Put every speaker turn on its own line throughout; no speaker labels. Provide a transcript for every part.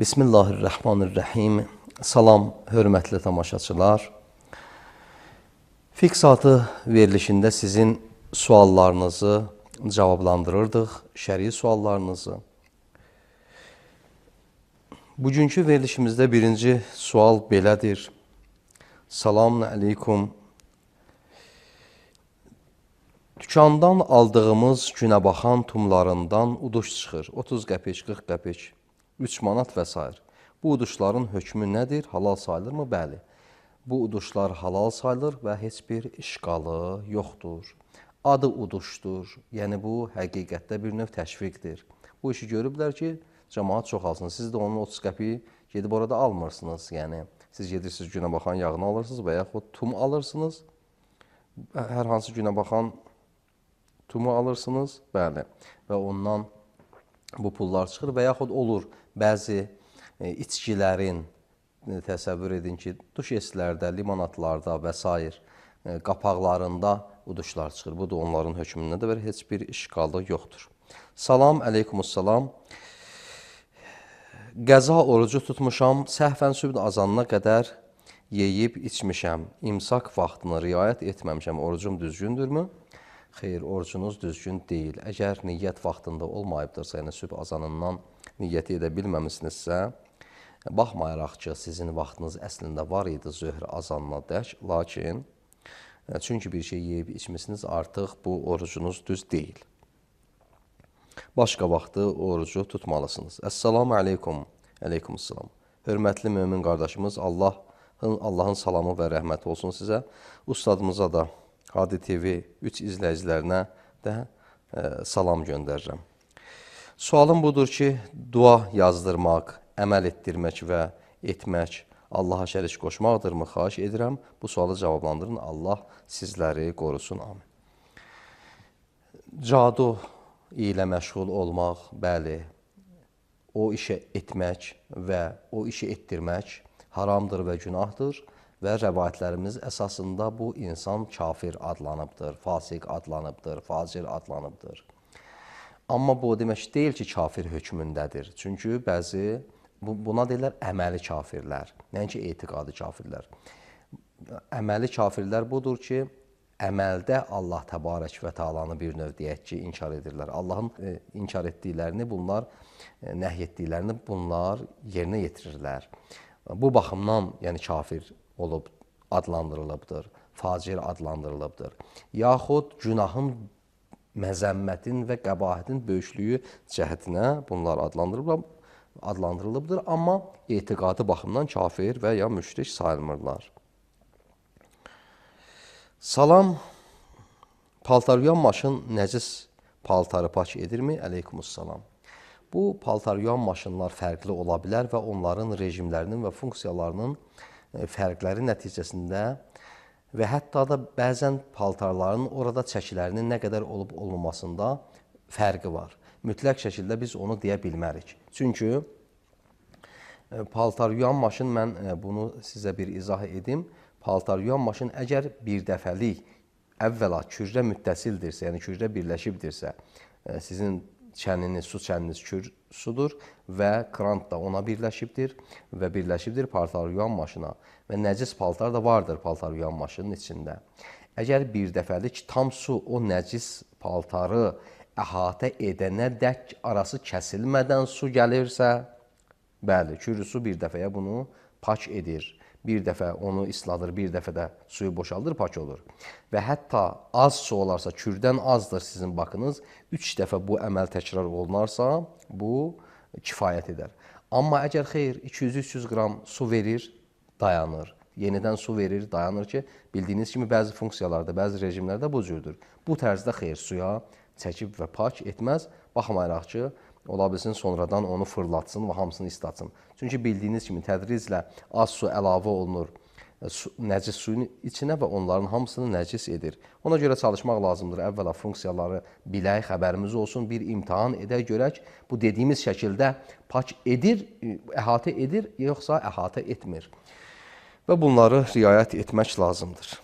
Bismillahirrahmanirrahim. Salam, hörmətli tamaşaçılar. Fiqh saatı verilişində sizin suallarınızı cavablandırırdıq, şəri suallarınızı. Bugünkü verilişimizdə birinci sual belədir. Selamun əleykum. Dükandan aldığımız günəbaxan tumlarından uduş çıxır. 30 qəpik, 40 qəpik, 3 manat və s. Bu uduşların hökmü nədir? Halal sayılırmı? Bəli. Bu uduşlar halal sayılır və heç bir işqalı yoxdur. Adı uduşdur. Yəni bu həqiqətdə bir növ təşviqdir. Bu işi görüblər ki, cəmaat çoxalsın. Siz də onun 30 qəpiyi gedib orada almırsınız. Yəni siz gedirsiniz günəbaxan yağını alırsınız və yaxud tum alırsınız. Hər hansı günəbaxan tumu alırsınız. Bəli. Və ondan bu pullar çıxır və yaxud olur bəzi içkilərin, təsəvvür edin ki, duşeslərdə, limonatlarda və s. qapaqlarında uduşlar çıxır. Bu da onların hökmündə və heç bir işqalı yoxdur. Salam, əleykumussalam. Qəza orucu tutmuşam, səhvən sübh azanına qədər yeyib içmişəm. İmsak vaxtını riayət etməmişəm. Orucum düzgündürmü? Xeyr, orucunuz düzgün deyil. Əgər niyyət vaxtında olmayıbdırsa, yəni sübh azanından niyyəti edə bilməmisinizsə, baxmayaraq ki, sizin vaxtınız əslində var idi zöhr azanına dək, lakin çünki bir şey yeyib içmişsiniz, artıq bu orucunuz düz deyil. Başqa vaxtı orucu tutmalısınız. Əssalamu aleykum, əleykumussalam. Hörmətli mömin qardaşımız, Allahın salamı və rəhməti olsun sizə. Ustadımıza da, Hadi TV 3 izləyicilərinə də salam göndərirəm. Sualım budur ki, dua yazdırmaq, əməl etdirmək və etmək Allaha şərik qoşmaqdırmı? Xahiş edirəm, bu sualı cavablandırın. Allah sizləri qorusun. Amin. Cadu ilə məşğul olmaq, bəli, o işə etmək və o işi etdirmək haramdır və günahdır və rəvayətlərimiz əsasında bu insan kafir adlanıbdır, fasiq adlanıbdır, facir adlanıbdır. Amma bu demək deyil ki, kafir hökmündədir. Çünki bəzi buna deyirlər əməli kafirlər, nəinki etiqadi kafirlər. Əməli kafirlər budur ki, əməldə Allah təbarək və təalanı bir növ deyək ki, inkar edirlər. Allahın inkar etdiklərini, nəhy etdiklərini bunlar yerinə yetirirlər. Bu baxımdan yəni kafir olub adlandırılıbdır, facir adlandırılıbdır. Yaxud günahın, məzəmmətin və qəbahətin böyüklüyü cəhətinə bunlar adlandırılıbdır, amma etiqadi baxımdan kafir və ya müşrik sayılmırlar. Salam, paltar yuyan maşın nəcis paltarı pak edirmi? Əleykumussalam. Bu paltar yuyan maşınlar fərqli ola bilər və onların rejimlərinin və funksiyalarının fərqləri nəticəsində və hətta da bəzən paltarların orada çəkilərinin nə qədər olub-olmamasında fərqi var. Mütləq şəkildə biz onu deyə bilmərik. Çünki paltar yuyan maşın, mən bunu sizə bir izah edim. Paltar yuyan maşın əgər bir dəfəlik əvvəla kürrə müttəsildirsə, yəni kürrə birləşibdirsə, sizin çəniniz, su çəniniz kür sudur və krant da ona birləşibdir və birləşibdir paltar yuyan maşına və nəcis paltar da vardır paltar yuyan maşının içində. Əgər bir dəfəlik tam su o nəcis paltarı əhatə edənə dək arası kəsilmədən su gəlirsə, bəli, kürrü su bir dəfəyə bunu pak edir. Bir dəfə onu isladır, bir dəfə də suyu boşaldır, pak olur. Və hətta az su olarsa, kürdən azdır sizin bakınız, 3 dəfə bu əməl təkrar olunarsa, bu kifayət edər. Amma əgər xeyr, 200-300 qram su verir, dayanır. Yenidən su verir, dayanır ki, bildiyiniz kimi bəzi funksiyalarda, bəzi rejimlərdə bu cürdür. Bu tərzdə xeyr, suya çəkib və pak etməz, baxmayaraq ki, ola bilsin sonradan onu fırlatsın və hamısını islatsın. Çünki bildiyiniz kimi tədriclə az su əlavə olunur nəcis suyun içinə və onların hamısını nəcis edir. Ona görə çalışmaq lazımdır. Əvvəla funksiyaları bilək, xəbərimiz olsun, bir imtahan edək, görək. Bu dediyimiz şəkildə pak edir, əhatə edir, yoxsa əhatə etmir. Və bunları riayət etmək lazımdır.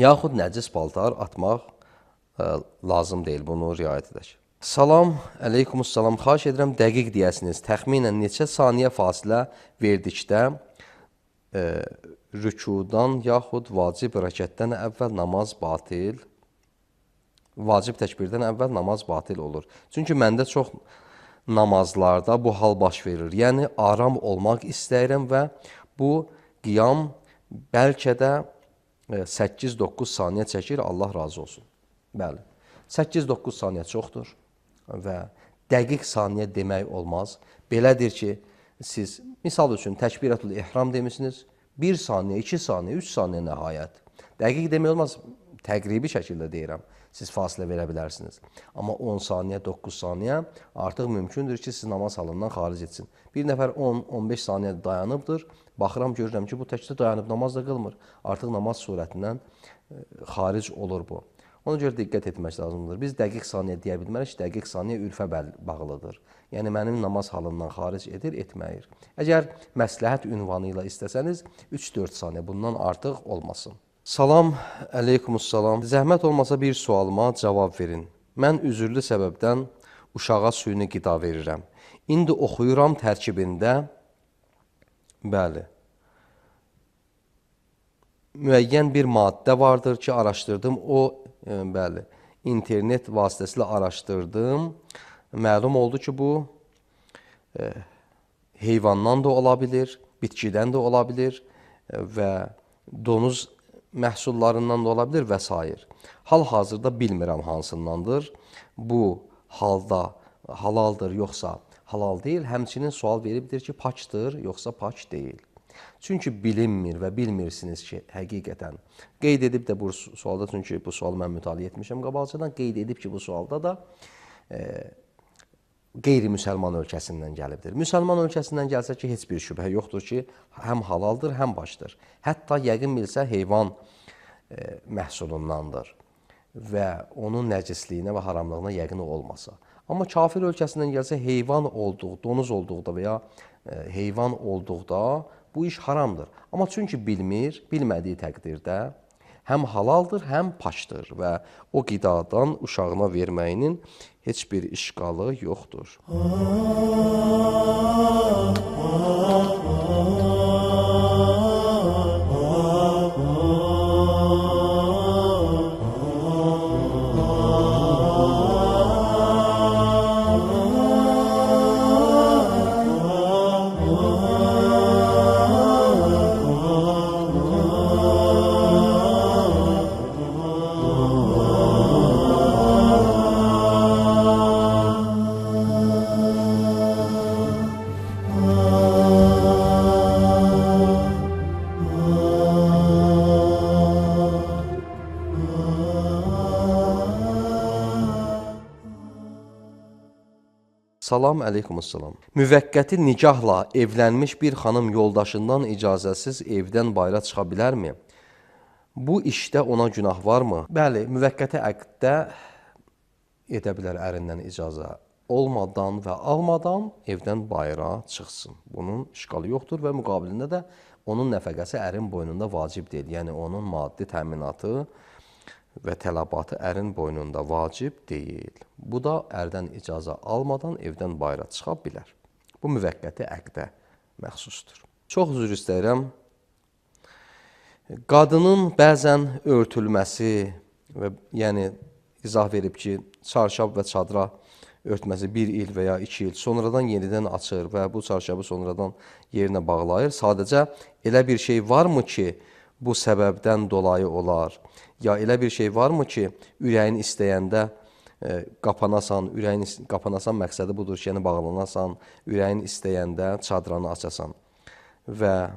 Yaxud nəcis paltar atmaq lazım deyil, bunu riayət edək. Salam, əleykumussalam. Xahiş edirəm dəqiq deyəsiniz. Təxminən neçə saniyə fasilə verdikdə rükudan yaxud vacib rəkətdən əvvəl namaz batil, vacib təkbirdən əvvəl namaz batil olur. Çünki məndə çox namazlarda bu hal baş verir. Yəni, aram olmaq istəyirəm və bu qiyam bəlkə də 8-9 saniyə çəkir, Allah razı olsun. Bəli, 8-9 saniyə çoxdur və dəqiq saniyə demək olmaz. Belədir ki, siz misal üçün təkbirətül ihram demişsiniz, 1 saniyə, 2 saniyə, 3 saniyə nəhayət. Dəqiq demək olmaz, təqribi şəkildə deyirəm. Siz fasilə verə bilərsiniz. Amma 10 saniyə, 9 saniyə artıq mümkündür ki, siz namaz halından xaric etsin. Bir nəfər 10-15 saniyə dayanıbdır. Baxıram, görürəm ki, bu təkcə dayanıb namaz da qılmır. Artıq namaz surətindən xaric olur bu. Ona görə diqqət etmək lazımdır. Biz dəqiq saniyə deyə bilmərik, dəqiq saniyə ürfə bağlıdır. Yəni, mənim namaz halından xaric edir, etməyir. Əgər məsləhət ünvanı ilə istəsəniz, 3-4 saniyə bundan artıq olmasın. Salam, əleykumussalam. Zəhmət olmasa bir sualıma cavab verin. Mən üzürlü səbəbdən uşağa süni qida verirəm. İndi oxuyuram tərkibində, bəli, müəyyən bir maddə vardır ki, araşdırdım. Bəli, internet vasitəsilə araşdırdım. Məlum oldu ki, bu heyvandan da ola bilir, bitkidən də ola bilir və donuz məhsullarından da ola bilir və s. Hal-hazırda bilmirəm hansındandır. Bu halda halaldır, yoxsa halal deyil. Həmçinin sual veribdir ki, paçdır, yoxsa paç deyil. Çünki bilinmir və bilmirsiniz ki, həqiqətən. Qeyd edib də bu sualda, çünki bu sualı mən mütaliə etmişəm qabaqcadan, qeyd edib ki, bu sualda da qeyri-müsəlman ölkəsindən gəlibdir. Müsəlman ölkəsindən gəlsə ki, heç bir şübhə yoxdur ki, həm halaldır, həm başdır. Hətta yəqin bilsə heyvan məhsulundandır və onun nəcisliyinə və haramlığına yəqin olmasa. Amma kafir ölkəsindən gəlsə heyvan olduq, donuz olduqda və ya heyvan olduqda bu iş haramdır. Amma çünki bilmir, bilmədiyi təqdirdə həm halaldır, həm paçdır və o qidadan uşağına verməyinin heç bir işqalı yoxdur. Salam, əleykumussalam. Müvəqqəti nikahla evlənmiş bir xanım yoldaşından icazəsiz evdən bayıra çıxa bilərmi? Bu işdə ona günah varmı? Bəli, müvəqqəti əqddə edə bilər ərindən icazə olmadan və almadan evdən bayıra çıxsın. Bunun işqalı yoxdur və müqabilində də onun nəfəqəsi ərin boynunda vacib deyil. Yəni, onun maddi təminatı və tələbatı ərin boynunda vacib deyil. Bu da ərdən icazə almadan evdən bayıra çıxa bilər. Bu müvəqqəti əqdə məxsusdur. Çox üzr istəyirəm. Qadının bəzən örtülməsi və yəni izah verib ki, çarşab və çadıra örtməsi 1 il və ya 2 il sonradan yenidən açır və bu çarşabı sonradan yerinə bağlayır. Sadəcə elə bir şey varmı ki, bu səbəbdən dolayı olar? Ya elə bir şey varmı ki, ürəyin istəyəndə qapanasan, qapanasan məqsədi budur ki, yəni bağlanasan, ürəyin istəyəndə çadranı açasan. Və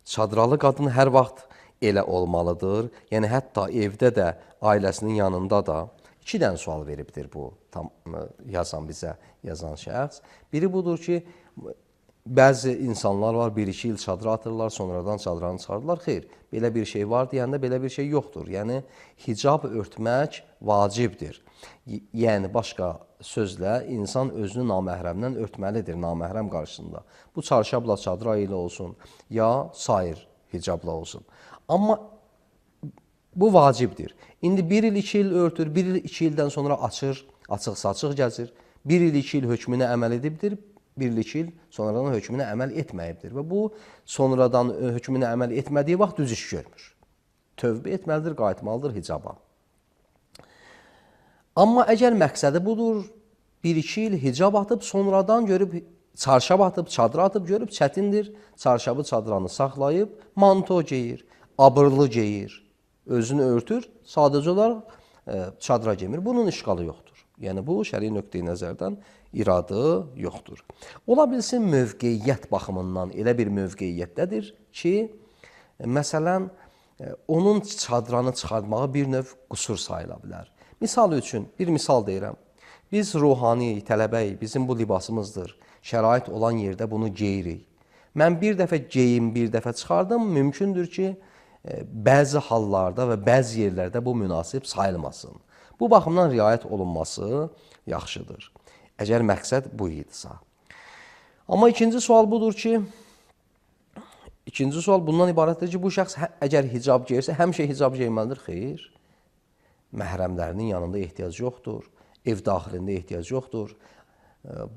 çadralı qadın hər vaxt elə olmalıdır. Yəni, hətta evdə də, ailəsinin yanında da 2 dənə sual veribdir bu bizə yazan şəxs. Biri budur ki, bəzi insanlar var, 1-2 il çadıra atırlar, sonradan çadranı çıxardılar. Xeyr, belə bir şey var deyəndə belə bir şey yoxdur. Yəni, hicab örtmək vacibdir. Yəni, başqa sözlə, insan özünü naməhrəmdən örtməlidir, naməhrəm qarşısında. Bu çarşabla, çadıra ilə olsun, ya sair hicabla olsun. Amma Bu vacibdir. İndi 1 il, 2 il örtür, 1 il, 2 ildən sonra açır, açıq-saçıq gəzir. 1 il, 2 il hökmünə əməl edibdir, 1 il, 2 il sonradan hökmünə əməl etməyibdir. Və bu sonradan hökmünə əməl etmədiyi vaxt düz iş görmür. Tövbə etməlidir, qayıtmalıdır hicaba. Amma əgər məqsədi budur, 1-2 il hicab atıb, sonradan görüb, çarşab atıb, çadır atıb, görüb çətindir, çarşabı, çadranı saxlayıb, manto geyir, abırlı geyir, özünü örtür, sadəcə olaraq çadıra giymir. Bunun işğalı yoxdur. Yəni, bu şəri nöqteyi nəzərdən iradı yoxdur. Ola bilsin, mövqeyiyyət baxımından elə bir mövqeyiyyətdədir ki, məsələn, onun çadranı çıxartmağı bir növ qüsur sayıla bilər. Misal üçün, bir misal deyirəm. Biz ruhaniyik, tələbəyik, bizim bu libasımızdır. Şərait olan yerdə bunu geyirik. Mən bir dəfə geyim, bir dəfə çıxardım, mümkündür ki, bəzi hallarda və bəzi yerlərdə bu münasib sayılmasın. Bu baxımdan riayət olunması yaxşıdır. Əgər məqsəd bu idisə. Amma ikinci sual budur ki, ikinci sual bundan ibarətdir ki, bu şəxs əgər hicab geyirsə, həmişə hicab geyməlidir, xeyr. Məhrəmlərinin yanında ehtiyac yoxdur, ev daxilində ehtiyac yoxdur,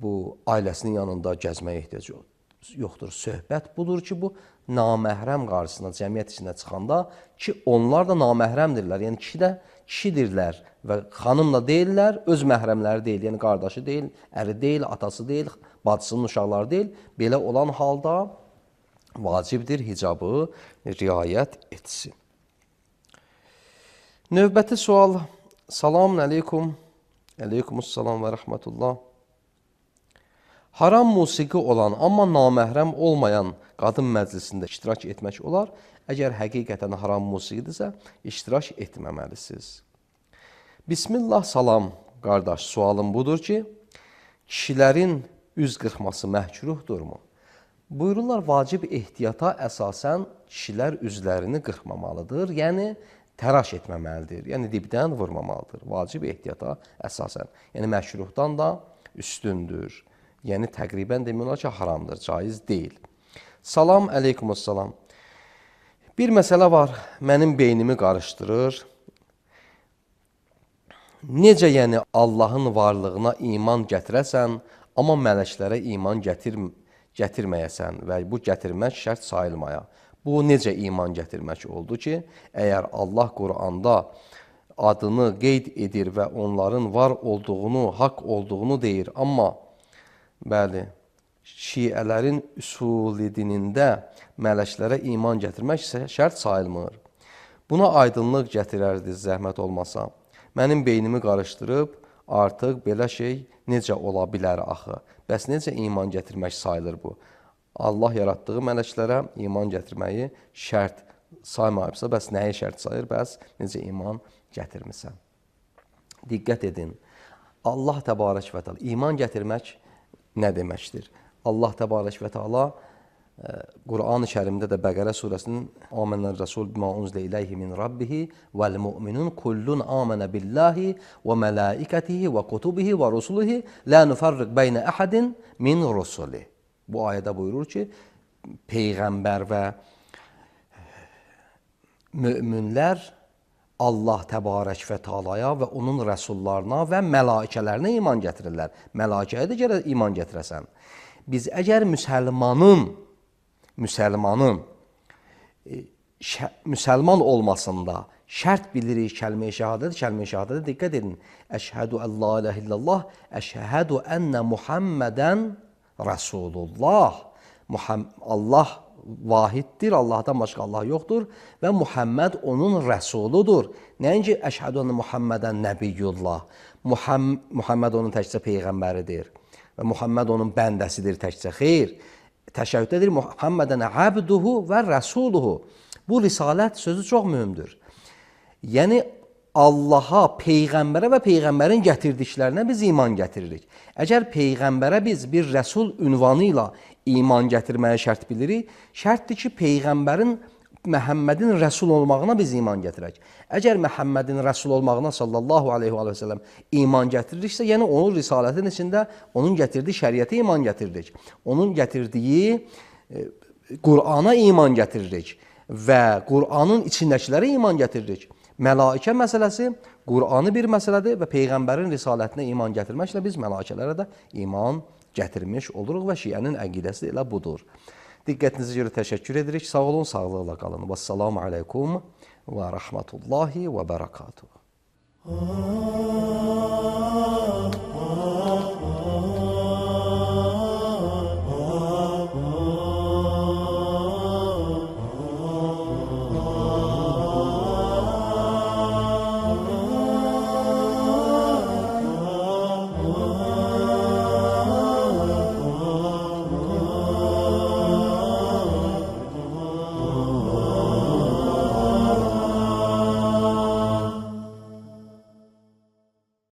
bu ailəsinin yanında gəzməyə ehtiyac yoxdur. Söhbət budur ki, bu naməhrəm qarşısına, cəmiyyət içində çıxanda ki, onlar da naməhrəmdirlər, yəni kişi də kişidirlər və xanım da deyirlər, öz məhrəmləri deyil, yəni qardaşı deyil, əri deyil, atası deyil, bacısının uşaqları deyil. Belə olan halda vacibdir hicabı riayət etsin. Növbəti sual. Salamun əleykum. Əleykumussalam və rəhmətullah. Haram musiqi olan, amma naməhrəm olmayan qadın məclisində iştirak etmək olar. Əgər həqiqətən haram musiqidirsə, iştirak etməməlisiniz. Bismillah, salam, qardaş, sualım budur ki, kişilərin üz qırxması məhkruhdurmu? Buyururlar, vacib ehtiyata əsasən kişilər üzlərini qırxmamalıdır, yəni təraş etməməlidir, yəni dibdən vurmamalıdır. Vacib ehtiyata əsasən, yəni məhkruhdan da üstündür. Yəni təqribən demək olar ki, haramdır, caiz deyil. Salam, əleykumussalam. Bir məsələ var, mənim beynimi qarışdırır. Necə yəni Allahın varlığına iman gətirəsən, amma mələklərə iman gətirməyəsən və bu gətirmək şərt sayılmaya. Bu necə iman gətirmək oldu ki, əgər Allah Quranda adını qeyd edir və onların var olduğunu, haqq olduğunu deyir, amma bəli, şiələrin üsul-i dinində mələklərə iman gətirmək şərt sayılmır. Buna aydınlıq gətirərdi zəhmət olmasa. Mənim beynimi qarışdırıb, artıq belə şey necə ola bilər axı? Bəs necə iman gətirmək sayılır bu? Allah yaratdığı mələklərə iman gətirməyi şərt saymayıbsa, bəs nəyi şərt sayır, bəs necə iman gətirmirsən? Diqqət edin, Allah təbarək və təala, iman gətirmək nə deməkdir? Allah təbarək və təala Quran-ı Kərimdə də Bəqərə surəsinin Amənər Rəsul bimə unzilə iləyhi min rabbihi vəl mu'minun kullun amənə billahi və mələikətihi və kutubihi və rusulihi la nufarriq beynə əhədin min rusuli. Bu ayədə buyurur ki, Peyğəmbər və möminlər Allah təbarək və teala'ya və onun rəsullarına və mələikələrinə iman gətirirlər. Mələikəyə də gərək iman gətirəsən. Biz əgər müsəlman olmasında şərt bilirik kəlmə-i şəhadət, kəlmə-i şəhadətə diqqət edin. Əşhədü ən la iləhə illallah, əşhədü ennə Muhammədən Rasulullah. Allah vahiddir, Allahdan başqa Allah yoxdur və Muhammed onun rəsuludur. Nəinki əşhədü ennə Muhammədən nəbiyyullah. Muhammed onun təkcə peyğəmbəridir və Muhammed onun bəndəsidir təkcə. Xeyr, təşəbbüdədir Muhammədən əbduhu və rəsuluhu. Bu risalət sözü çox mühümdür. Yəni Allaha, Peyğəmbərə və Peyğəmbərin gətirdiklərinə biz iman gətiririk. Əgər Peyğəmbərə biz bir rəsul ünvanı ilə iman gətirməyə şərt bilirik, şərtdir ki, Peyğəmbərin Məhəmmədin rəsul olmağına biz iman gətirək. Əgər Məhəmmədin rəsul olmağına sallallahu aleyhi və səlləm iman gətiririksə, yəni onun risalətin içində onun gətirdiyi şəriətə iman gətiririk. Onun gətirdiyi Qur'ana iman gətiririk və Qur'anın içindəkilərə iman gətiririk. Mələikə məsələsi Qur'anı bir məsələdir və Peyğəmbərin risalətinə iman gətirməklə biz mələikələrə də iman gətirmiş oluruq və şiənin əqidəsi elə budur. Diqqətinizə görə təşəkkür edirik. Sağ olun, sağlıqla qalın. Vəssalamu aleykum və rəhmətullahi və bərəkatuhu.